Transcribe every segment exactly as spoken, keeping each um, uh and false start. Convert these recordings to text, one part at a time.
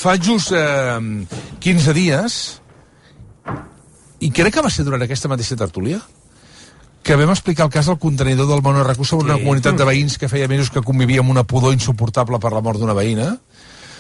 fa just eh, quinze dies, i crec que va ser durant aquesta mateixa tertúlia, que vam explicar el cas del contenidor del Monoracu sobre una sí. comunitat de veïns que feia mesos que convivia amb una pudor insuportable per la mort d'una veïna.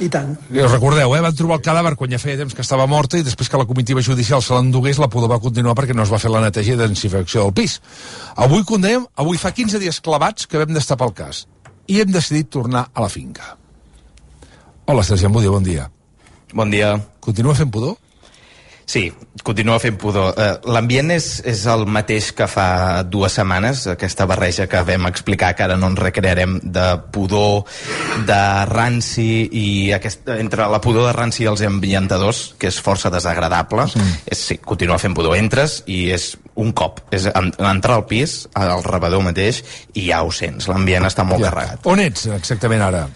I tant. I us recordeu, eh? Van trobar el cadàver quan ja feia temps que estava morta i després que la comitiva judicial se l'endugués, la pudor va continuar perquè no es va fer la neteja i desinfecció del pis. Avui condemnem, avui fa quinze dies clavats que vam destapar el cas i hem decidit tornar a la finca. Hola, Sergi Ambudio, bon dia. Bon dia. Continua fent pudor? Sí, continua fent pudor. Uh, L'ambient és, és el mateix que fa dues setmanes, aquesta barreja que vam explicar, que ara no ens recrearem, de pudor, de ranci, i aquest, entre la pudor de ranci i els ambientadors, que és força desagradable, sí. és, sí, continua fent pudor. Entres i és un cop. És entrar al pis, al rebedor mateix, i ja ho sents. L'ambient està molt ja. carregat. On ets exactament ara?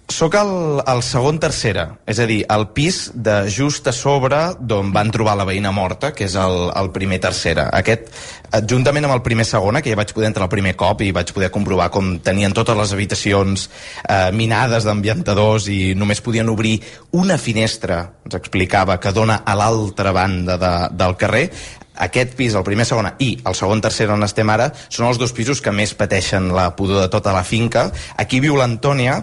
Soc al, al segon tercera, és a dir, al pis de just a sobre d'on van trobar la veïna morta, que és el, el primer tercera. Aquest, juntament amb el primer segona, que ja vaig poder entrar el primer cop i vaig poder comprovar com tenien totes les habitacions eh, minades d'ambientadors i només podien obrir una finestra, ens explicava, que dona a l'altra banda de, del carrer. Aquest pis, el primer, segona i el segon, tercer on estem ara, són els dos pisos que més pateixen la pudor de tota la finca. Aquí viu l'Antònia,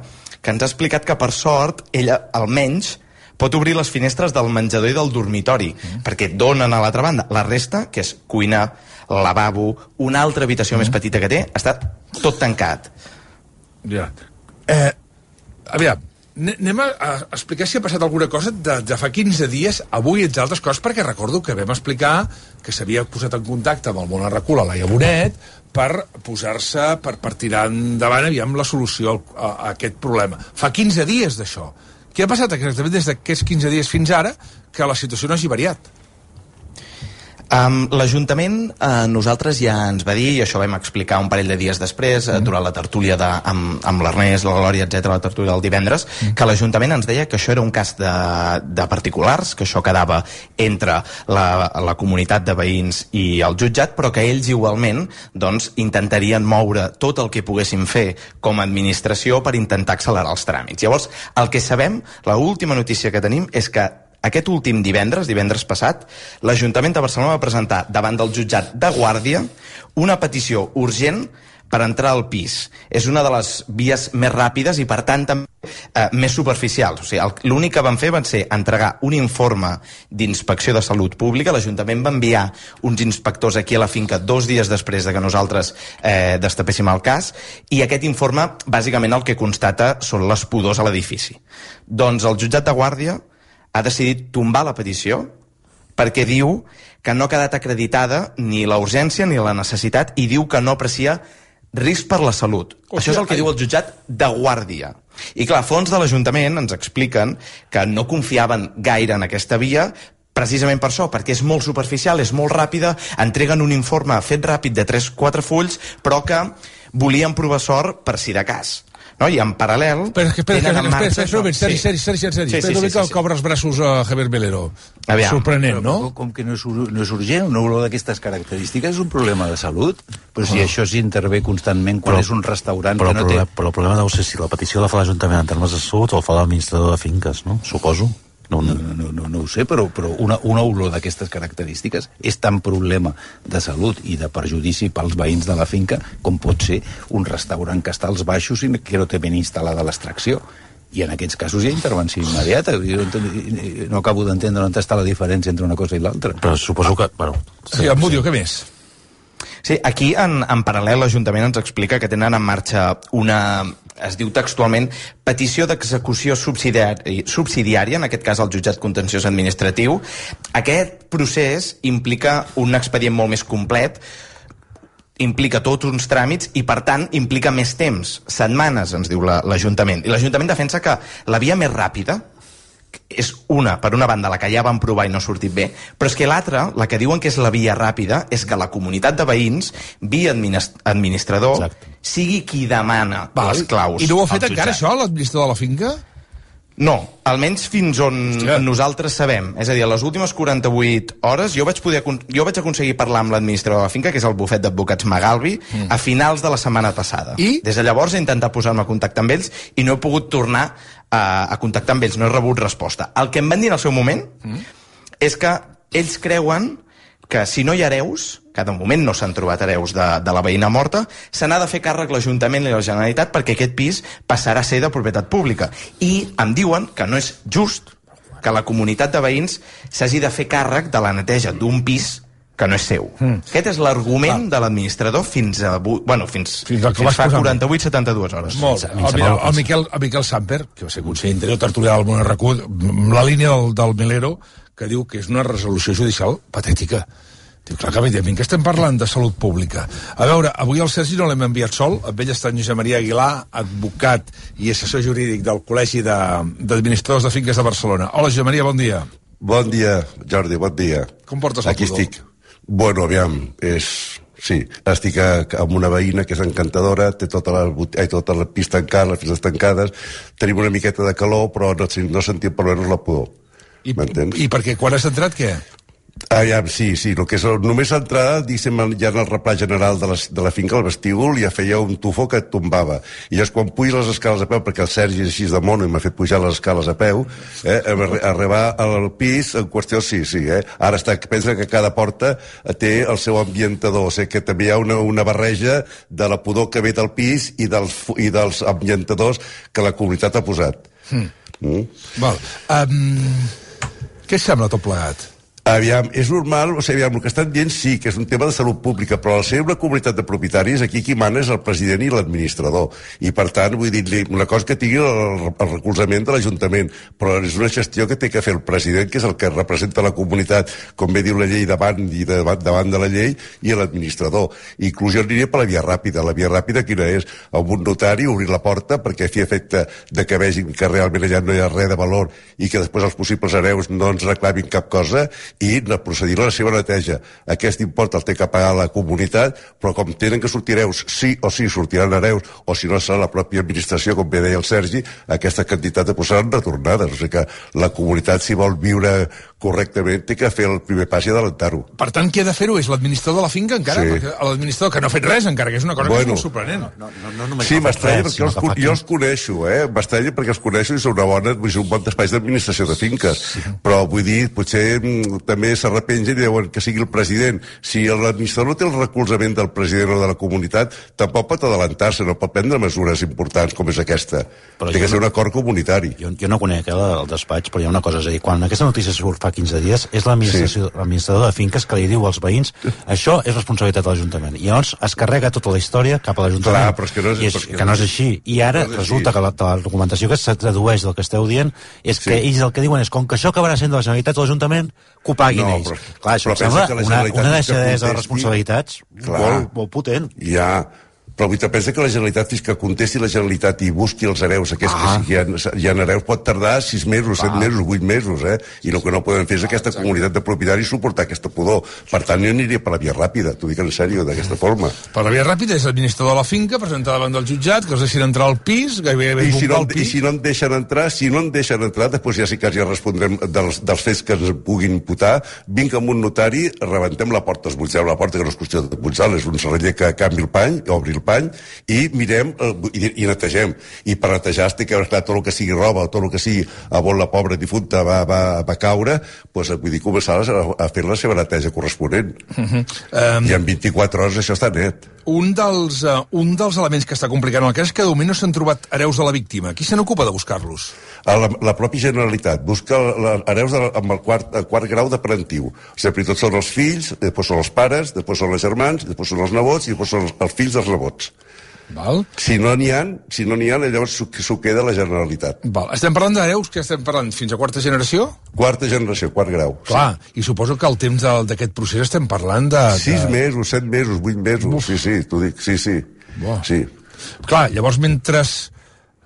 que ens ha explicat que, per sort, ella, almenys, pot obrir les finestres del menjador i del dormitori, mm. perquè donen a l'altra banda. La resta, que és cuina, lavabo, una altra habitació mm. més petita que té, està tot tancat. Ja. Eh, aviam, anem a, a explicar si ha passat alguna cosa de, de fa quinze dies, avui, entre altres coses, perquè recordo que vam explicar que s'havia posat en contacte amb el Monoracu, la Laia Bonet, per posar-se, per, per tirar endavant, aviam, la solució a, a aquest problema. Fa quinze dies d'això. Què ha passat exactament des d'aquests quinze dies fins ara que la situació no hagi variat? Um, L'Ajuntament uh, nosaltres ja ens va dir, i això vam explicar un parell de dies després, uh, durant la tertúlia de, amb, amb l'Ernest, la Glòria, etcètera, la tertúlia del divendres, mm. que l'Ajuntament ens deia que això era un cas de, de particulars, que això quedava entre la, la comunitat de veïns i el jutjat, però que ells igualment doncs, intentarien moure tot el que poguessin fer com a administració per intentar accelerar els tràmits. Llavors, el que sabem, l'última notícia que tenim és que aquest últim divendres, divendres passat, l'Ajuntament de Barcelona va presentar davant del jutjat de Guàrdia una petició urgent per entrar al pis. És una de les vies més ràpides i, per tant, també eh, més superficials. O sigui, l'únic que van fer van ser entregar un informe d'inspecció de salut pública. L'Ajuntament va enviar uns inspectors aquí a la finca dos dies després de que nosaltres eh, destapéssim el cas, i aquest informe, bàsicament, el que constata són les pudors a l'edifici. Doncs el jutjat de Guàrdia ha decidit tombar la petició perquè diu que no ha quedat acreditada ni la urgència ni la necessitat, i diu que no aprecia risc per la salut. O Això és el que ai... diu el jutjat de Guàrdia. I clar, a fons de l'Ajuntament ens expliquen que no confiaven gaire en aquesta via, precisament per això, perquè és molt superficial, és molt ràpida, entreguen un informe fet ràpid de tres quatre fulls, però que volien provar sort per si de cas. No? I en paral·lel... Espera, espera, espera, espera, espera, espera, Sergi, Sergi, Sergi, Sergi, sí, espera sí, una mica sí, sí, que obre els braços a Javier Melero. Aviam. Sorprenent, no? Com que no és, no és urgent, una olor d'aquestes característiques és un problema de salut, però si oh. això s'intervé constantment quan però, és un restaurant però, que no però, té... Però el problema deu ser si la petició la fa l'Ajuntament en termes de salut o el fa l'administrador de finques, no? Suposo. No, no, no, no, no ho sé, però, però una, una olor d'aquestes característiques és tan problema de salut i de perjudici pels veïns de la finca com pot ser un restaurant que està als baixos i que no té ben instal·lada l'extracció. I en aquests casos hi ha intervenció immediata. Jo no acabo d'entendre on està la diferència entre una cosa i l'altra. Però suposo que... Bueno, sí, Ambudio, què més? Sí, aquí en, en paral·lel l'Ajuntament ens explica que tenen en marxa una, es diu textualment, petició d'execució subsidiari, subsidiària, en aquest cas el jutjat contenciós administratiu. Aquest procés implica un expedient molt més complet, implica tots uns tràmits i, per tant, implica més temps, setmanes, ens diu l'Ajuntament. I l'Ajuntament defensa que la via més ràpida és una, per una banda, la que ja van provar i no ha sortit bé, però és que l'altra, la que diuen que és la via ràpida, és que la comunitat de veïns, via administrador, exacte, sigui qui demana Val. les claus. I no ho ha fet encara, això, l'administrador de la finca? No, almenys fins on Hòstia. nosaltres sabem. És a dir, a les últimes quaranta-vuit hores jo vaig, poder, jo vaig aconseguir parlar amb l'administrador de la finca, que és el bufet d'advocats Magalbi, mm. a finals de la setmana passada. I? Des de llavors he intentat posar-me a contactar amb ells i no he pogut tornar a, a contactar amb ells, no he rebut resposta. El que em van dir en el seu moment mm. és que ells creuen que si no hi ha hereus, que de moment no s'han trobat hereus de, de la veïna morta, se n'ha de fer càrrec l'Ajuntament i la Generalitat perquè aquest pis passarà a ser de propietat pública. I em diuen que no és just que la comunitat de veïns s'hagi de fer càrrec de la neteja d'un pis que no és seu. Mm. Aquest és l'argument ah. de l'administrador fins a bueno, fins, fins, fins fa quaranta-vuit a setanta-dues hores. Molt. El, el, el, Miquel, el Miquel Samper, que va ser conseller interior tertulià del Món Recut, amb la línia del, del Milero, que diu que és una resolució judicial patètica. Diu, clar que evidentment que estem parlant de salut pública. A veure, avui el Sergi no l'hem enviat sol, amb ell està en Josep Maria Aguilar, advocat i assessor jurídic del Col·legi d'Administradors de, de Finques de Barcelona. Hola, Josep Maria, bon dia. Bon dia, Jordi, bon dia. Com portes el Aquí pudor? estic. Bueno, aviam, és... Sí, estic a, amb una veïna que és encantadora, té tota la, ai, tota la pista tancada, les pistes tancades, tenim una miqueta de calor, però no, no sentim per almenys la pudor. I, I perquè quan has entrat, què? Aviam, sí, sí, el que és, només l'entrada, diguéssim, ja en el replà general de la, de la finca, al vestíbul, ja feia un tufó que et tombava. I llavors, quan puges les escales a peu, perquè el Sergi és així de mono i m'ha fet pujar les escales a peu, eh, arribar al pis, en qüestió, sí, sí, eh. Ara està, pensa que cada porta té el seu ambientador, o sigui que també hi ha una, una barreja de la pudor que ve del pis i dels, i dels ambientadors que la comunitat ha posat. Mm. Mm. Val. Um, què sembla tot plegat? Aviam, és normal, o sigui, aviam, el que estan dient sí, que és un tema de salut pública, però al ser una comunitat de propietaris, aquí qui mana és el president i l'administrador. I, per tant, vull dir-li una cosa que tingui el, el recolzament de l'Ajuntament, però és una gestió que té que fer el president, que és el que representa la comunitat, com bé diu la llei, davant i davant, davant de la llei, i l'administrador. Inclús jo aniria per la via ràpida. La via ràpida quina és? Amb un notari, obrir la porta, perquè fi efecte de que vegin que realment allà no hi ha res de valor i que després els possibles hereus no ens reclamin cap cosa, i procedir a la seva neteja. Aquest import el té que pagar la comunitat, però com tenen que sortir hereus, sí o sí sortiran hereus, o si no serà la pròpia administració, com bé deia el Sergi, aquesta quantitat de posaran retornades. O sigui que la comunitat, si vol viure correctament, té que fer el primer pas i adelantar-ho. Per tant, qui ha de fer-ho és l'administrador de la finca, encara? Sí. Perquè l'administrador que no ha fet res, encara, que és una cosa bueno, que és molt sorprenent. No, no, no, no sí, m'estranya perquè els, jo els coneixo, eh? M'estranya perquè els coneixo i són una bona, vull dir, un bon despatx d'administració de finques. Sí. Però vull dir, potser m, també s'arrepengen i diuen que sigui el president. Si l'administrador no té el recolzament del president o de la comunitat, tampoc pot adelantar-se, no pot prendre mesures importants com és aquesta. Però té que ser un acord comunitari. Jo, jo no conec eh, el despatx, però hi ha una cosa, és a dir, quan aquesta notícia surt fa quinze dies, és l'administració, sí. l'administrador de finques que li diu als veïns això és responsabilitat de l'Ajuntament. I llavors es carrega tota la història cap a l'Ajuntament. Clar, però és que no és, I és, que que no és així. I ara no resulta així. que la, la documentació que se tradueix del que esteu dient és sí. que ells el que diuen és com que això acabarà sent de la Generalitat o de l'Ajuntament, que ho paguin no, ells. Però, Clar, això però sembla una, una deixadesa de responsabilitats clar, molt, molt potent. Ja, però vull pensa que la Generalitat, fins que contesti la Generalitat i busqui els hereus, aquests ah. que hi ha, hi ha hereus, pot tardar sis mesos, set ah. mesos, vuit mesos, eh? I el que no poden fer és aquesta ah, comunitat de propietaris suportar aquesta pudor. Per tant, jo aniria per la via ràpida, t'ho dic en sèrio, d'aquesta forma. Per la via ràpida és l'administrador de la finca, presentar davant del jutjat, que els deixin entrar al pis, gairebé I si no, al pis. I si no en deixen entrar, si no en deixen entrar, després ja sí que ja respondrem dels, dels fets que ens puguin imputar, vinc amb un notari, rebentem la porta, esbutllem la porta, que no és qüestió de pujar, és un serraller que canvi el pany, obri el pany, i mirem eh, i, i netegem. I per netejar es té que esclar tot el que sigui roba, tot el que sigui a on la pobra difunta va, va, va caure, doncs vull dir, començar a, a fer la seva neteja corresponent. Uh -huh. um, I en vint-i-quatre hores això està net. Un dels, uh, un dels elements que està complicant el cas és que de moment no s'han trobat hereus de la víctima. Qui se n'ocupa de buscar-los? La, la pròpia Generalitat busca la, hereus de, amb el quart, el quart grau de parentiu. Sempre tots són els fills, després són els pares, després són els germans, després són els nebots i després són els, els fills dels nebots. Val. Si no n'hi ha, si no n'hi ha, llavors s'ho queda la Generalitat. Val. Estem parlant d'hereus, que estem parlant fins a quarta generació? Quarta generació, quart grau. Clar, sí. I suposo que el temps d'aquest procés estem parlant de... Sis de... mesos, set mesos, vuit mesos, Uf. sí, sí, t'ho dic, sí, sí. sí. Clar, llavors mentre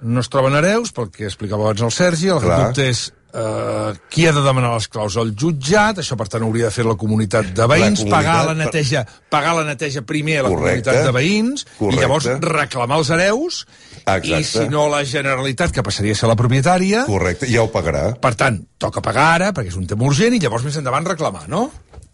no es troben hereus, pel que explicava abans el Sergi, el que dubte és Uh, qui ha de demanar les claus? El jutjat, això per tant hauria de fer la comunitat de veïns, la comunitat, pagar, la neteja, pagar la neteja primer a la correcte, comunitat de veïns, correcte. I llavors reclamar els hereus. Exacte. I si no la Generalitat, que passaria a ser la propietària... Correcte, ja ho pagarà. Per tant, toca pagar ara, perquè és un tema urgent, i llavors més endavant reclamar, no?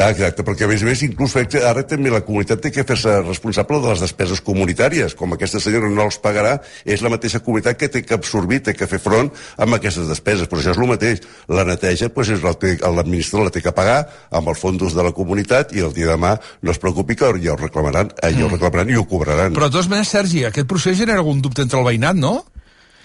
Exacte, perquè a més a més inclús ara també la comunitat té que fer-se responsable de les despeses comunitàries. Com aquesta senyora no els pagarà, és la mateixa comunitat que té que absorbir, té que fer front amb aquestes despeses. Però això és el mateix. La neteja, doncs, l'administrador la té que pagar amb els fons de la comunitat i el dia de demà no es preocupi que ja ho reclamaran, ja ho reclamaran i ho cobraran. Però de totes maneres, Sergi, aquest procés genera algun dubte entre el veïnat, no?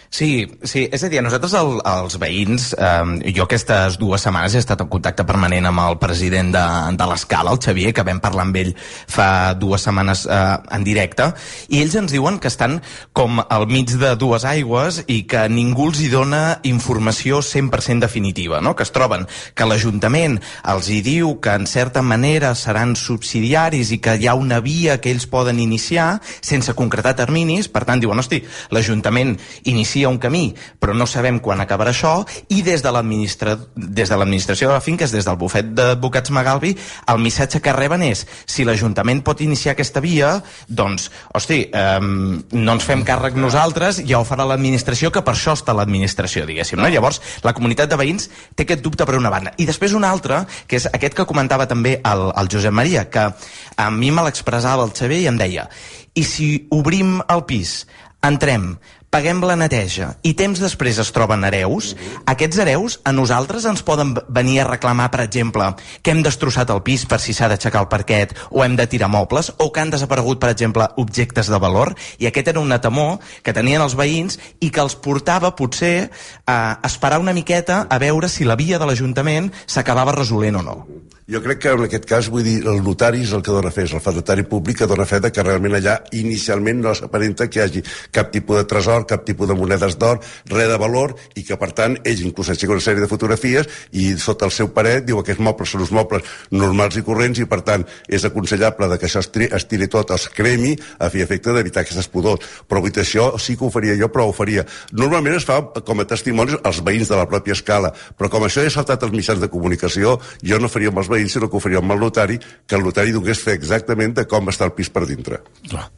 Sí, sí, és a dir, nosaltres el, els veïns, eh, jo aquestes dues setmanes he estat en contacte permanent amb el president de, de l'Escala, el Xavier, que vam parlar amb ell fa dues setmanes eh, en directe, i ells ens diuen que estan com al mig de dues aigües i que ningú els hi dona informació cent per cent definitiva, no? Que es troben que l'Ajuntament els hi diu que en certa manera seran subsidiaris i que hi ha una via que ells poden iniciar sense concretar terminis, per tant diuen, hosti, l'Ajuntament inicia un camí, però no sabem quan acabarà això, i des de l'administra... des de l'administració de la finca, des del bufet d'advocats Magalbi, el missatge que reben és, si l'Ajuntament pot iniciar aquesta via, doncs, hosti, eh, no ens fem càrrec nosaltres, ja ho farà l'administració, que per això està l'administració, diguéssim, no? Llavors, la comunitat de veïns té aquest dubte per una banda. I després un altre, que és aquest que comentava també el, el Josep Maria, que a mi me l'expressava el Xavier i em deia, i si obrim el pis, entrem, paguem la neteja i temps després es troben hereus, aquests hereus a nosaltres ens poden venir a reclamar, per exemple, que hem destrossat el pis per si s'ha d'aixecar el parquet o hem de tirar mobles, o que han desaparegut, per exemple, objectes de valor, i aquest era un temor que tenien els veïns i que els portava, potser, a esperar una miqueta a veure si la via de l'Ajuntament s'acabava resolent o no. Jo crec que en aquest cas, vull dir, el notari és el que dona fe, és el fedatari públic que dona fe de que realment allà inicialment no s'aparenta que hi hagi cap tipus de tresor, cap tipus de monedes d'or, res de valor, i que per tant ells inclús aixequen una sèrie de fotografies i sota el seu paret diu que aquests mobles són uns mobles normals i corrents i per tant és aconsellable de que això es, tri, es tiri tot, es cremi a fi efecte d'evitar aquestes pudors. Però vull dir, això sí que ho faria jo, però ho faria. Normalment es fa com a testimonis als veïns de la pròpia Escala, però com això ja ha saltat els mitjans de comunicació, jo no faria amb els veïns, sinó que ho faria amb el notari, que el notari donés fe exactament de com està el pis per dintre. Clar.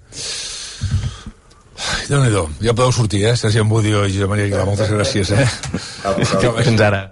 Déu-n'hi-do, ja podeu sortir, eh? Sergi Ambudio i Josep Maria Aguilar, moltes gràcies, eh? Fins ara.